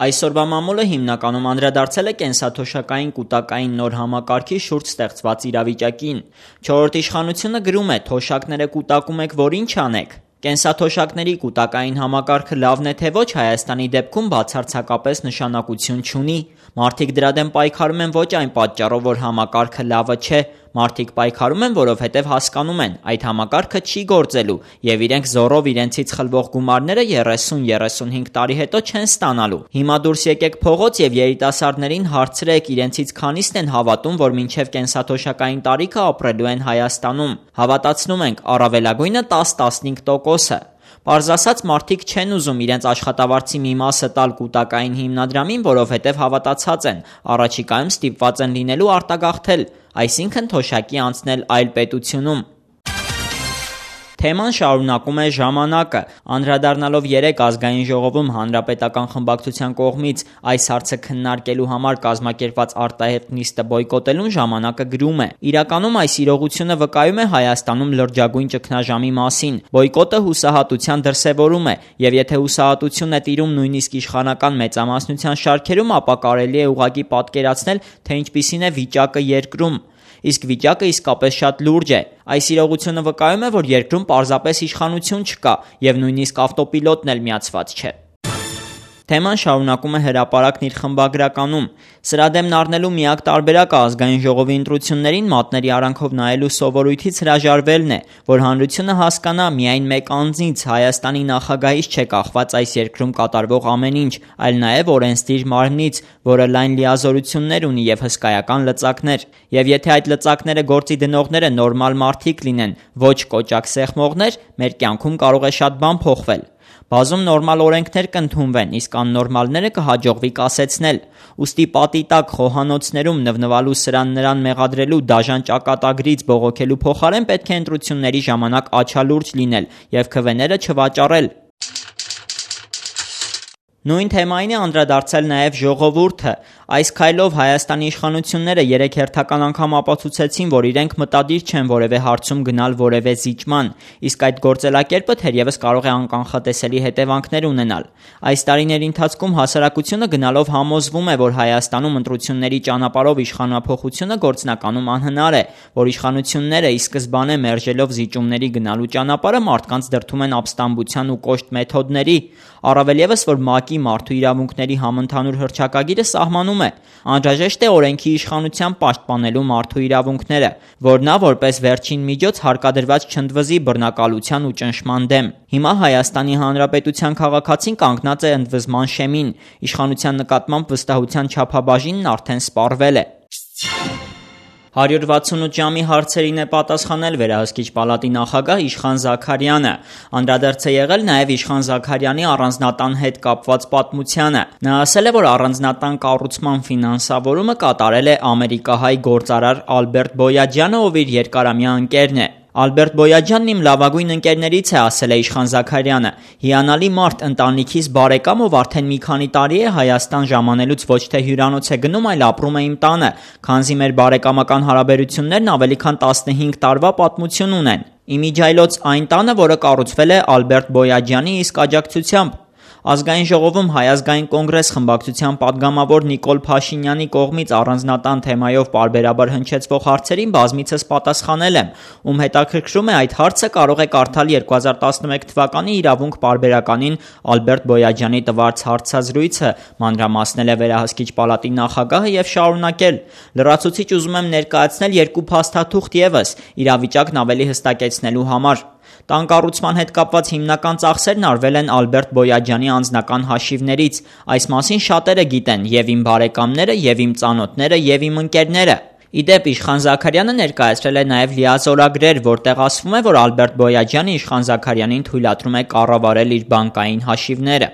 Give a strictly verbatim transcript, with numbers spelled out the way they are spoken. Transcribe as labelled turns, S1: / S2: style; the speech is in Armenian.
S1: Այսօրվա մամուլը հիմնականում անդրադարձել է կենսաթոշակային կուտակային նոր համակարգի շուրջ ստեղծված իրավիճակին։ Չորրորդ իշխանությունը գրում է՝ թոշակները կուտակում եք, որ ինչ անեք։ Կենսաթոշակների կուտակային համակարգը լավն է թե ոչ, Հայաստանի դեպքում բացարձակապես նշանակություն չունի։ Մարդիկ դրա դեմ պայքարում են ոչ այն պատճառով, որ համակարգը լավը չէ, մարդիկ պայքարում են, որովհետև հասկանում են՝ այդ համակարգը չի գործելու և իրենք զոռով իրենցից խլվող գումարները երեսուն-երեսունհինգ տարի հետո չեն ստանալու։ Հիմա դուրս եկեք փողոց և երիտասարդներին հարցրեք՝ իրենցից քանիսն են հավատում, որ մինչև կենսաթոշակային տարիքը ապրելու են Հայաստանում։ Հավատացնում ենք՝ առավելագույնը տաս-տասնհինգ տոկոսը։ Պարզ ասած, մարդիկ չեն ուզում իրենց աշխատավարձի մի մասը տալ կուտակային հիմնադրամին, որովհետև հավատացած են՝ առաջիկայում ստիպված են լինելու արտագաղթել, այսինքն թոշակի անցնել այլ պետությունում։ Թեման շարունակում է «Ժամանակը»։ Անդրադառնալով երեկ Ազգային ժողովում Հանրապետական խմբակցության կողմից այս հարցը քննարկելու համար կազմակերպված արտահերթ նիստը բոյկոտելուն, «Ժամանակը» գրում է. «Իրականում այս իրողությունը վկայում է Հայաստանում լրջագույն ճգնաժամի մասին։ Բոյկոտը հուսահատության դրսևորում է, և եթե հուսահատություն է տիրում նույնիսկ իշխանական մեծամասնության շարքերում, ապա կարելի է ուղղակի պատկերացնել, թե ինչպիսին է վիճակը երկրում։ Իսկ վիճակը իսկապես շատ լուրջ է։ Այս իրողությունը վկայում է, որ երկրում պարզապես իշխանություն չկա, և նույնիսկ ավտոպիլոտն էլ միացված չէ»։ Թեման շարունակում է «Հրապարակն» իր խմբագրականում. «Սրա դեմն առնելու միակ տարբերակը Ազգային ժողովի ընտրություններին մատների արանքով նայելու սովորույթից հրաժարվելն է, որ հանրությունը հասկանա՝ միայն մեկ անձից՝ Հայաստանի նախագահից չէ կախված այս երկրում կատարվող ամեն ինչ, այլ նաև օրենսդիր մարմնից, որը լայն լիազորություններ ունի և հսկայական լծակներ։ Եվ եթե այդ լծակները գործի դնողները նորմալ մարդիկ լինեն, ոչ կոճակ սեղմողներ, մեր կյանքում կարող է շատ բան փոխվել։ Բազում նորմալ օրենքներ կընդունվեն, իսկ աննորմալները կհաջողվի կասեցնել։ Ուստի պատի տակ խոհանոցներում նվնվալու սրան-նրան մեղադրելու, դաժան ճակատագրից բողոքելու փոխարեն պետք է ընտրությունների ժամանակ աչալուրջ լինել և քվեները չվաճառել»։ Նույն թեմային է անդրադարձել նաև «Ժողովուրդը»։ Այս քայլով Հայաստանի իշխանությունները երեկ հերթական անգամ ապացուցեցին, որ իրենք մտադիր չեն որևէ հարցում գնալ որևէ զիջման, իսկ այդ գործելակերպը թերևս կարող է անկանխատեսելի հետևանքներ ունենալ։ Այս տարիների ընթացքում հասարակությունը գնալով համոզվում է, որ Հայաստանում ընտրությունների ճանապարհով իշխանափոխությունը գործնականում անհնար է, որ իշխանությունները ի սկզբանե մերժելով զիջումների գնալու ճանապարհը մարդկանց դրդում են ապստամբության ու կոշտ մեթոդների, առավել ևս, որ ՄԱԿ-ի մարդու իրավունքների համընդհանուր հռչակագիրը սահմանում է. անհրաժեշտ է օրենքի իշխանությամբ պաշտպանելու մարդու իրավունքները, որ նա որպես վերջին միջոց հարկադրված չընդվզի բռնակալության ու ճնշման դեմ։ Հիմա Հայաստանի Հանրապետության քաղաքացին կանգնած է ընդվզման շեմին, իշխանության նկատմամբ վստահության չափաբաժինն արդեն սպառվել է։ հարյուր վաթսունութ ժամի հարցերին է պատասխանել Վերահսկիչ պալատի նախագահ Իշխան Զաքարյանը։ Անդրադարձ է եղել նաև Իշխան Զաքարյանի առանձնատան հետ կապված պատմությանը։ Նա ասել է, որ առանձնատան կառուցման ֆինանսավորումը կատարել է ամերիկահայ գործարար Ալբերտ Բոյաջյանը, ով իր երկարամյա ընկերն է։ Ալբերտ Բոյաջյանն իմ լավագույն ընկերներից է, ասել է Իշխան Զաքարյանը։ Հիանալի մարդ, ընտանիքիս բարեկամ, ով արդեն մի քանի տարի է Հայաստան ժամանելուց ոչ թե հյուրանոց է գնում, այլ ապրում է իմ տանը, քանզի մեր բարեկամական հարաբերություններն ավելի քան տասնհինգ տարվա պատմություն ունեն։ Իմիջիայլոց այն տանը, որը կառուցվել է Ալբերտ Բոյաջյանի իսկ աջակցությամբ։ Ազգային ժողովում Հայ ազգային կոնգրես խմբակցության падգամավոր Նիկոլ Փաշինյանի կողմից առանձնատան թեմայով պարբերաբար հնչեցվող հարցերին բազմիցս պատասխանել եմ, ում հետաքրքրում է այդ հարցը, կարող է կարդալ երկու հազար տասնմեկ թվականի իրավունք պարբերականին Ալբերտ Բոյաջյանի տված հարցազրույցը, մանրամասնել է Վերահսկիչ պալատի նախագահը և շարունակել. լրացուցիչ ուզում եմ ներկայացնել երկու փաստաթուղթ ևս, իրավիճակն ավելի հստակեցնելու համար։ Տան կառուցման հետ կապված հիմնական ծախսերն արվել են Ալբերտ Բոյաջյանի անձնական հաշիվներից։ Այս մասին շատերը գիտեն, և իմ բարեկամները, և իմ ծանոթները, և իմ ընկերները։ Ի դեպ, Իշխան Զաքարյանը ներկայացրել է նաև լիազորագրեր, որտեղ ասվում է, որ Ալբերտ Բոյաջյանը Իշխան Զաքարյանին թույլատրում է կառավարել իր բանկային հաշիվները։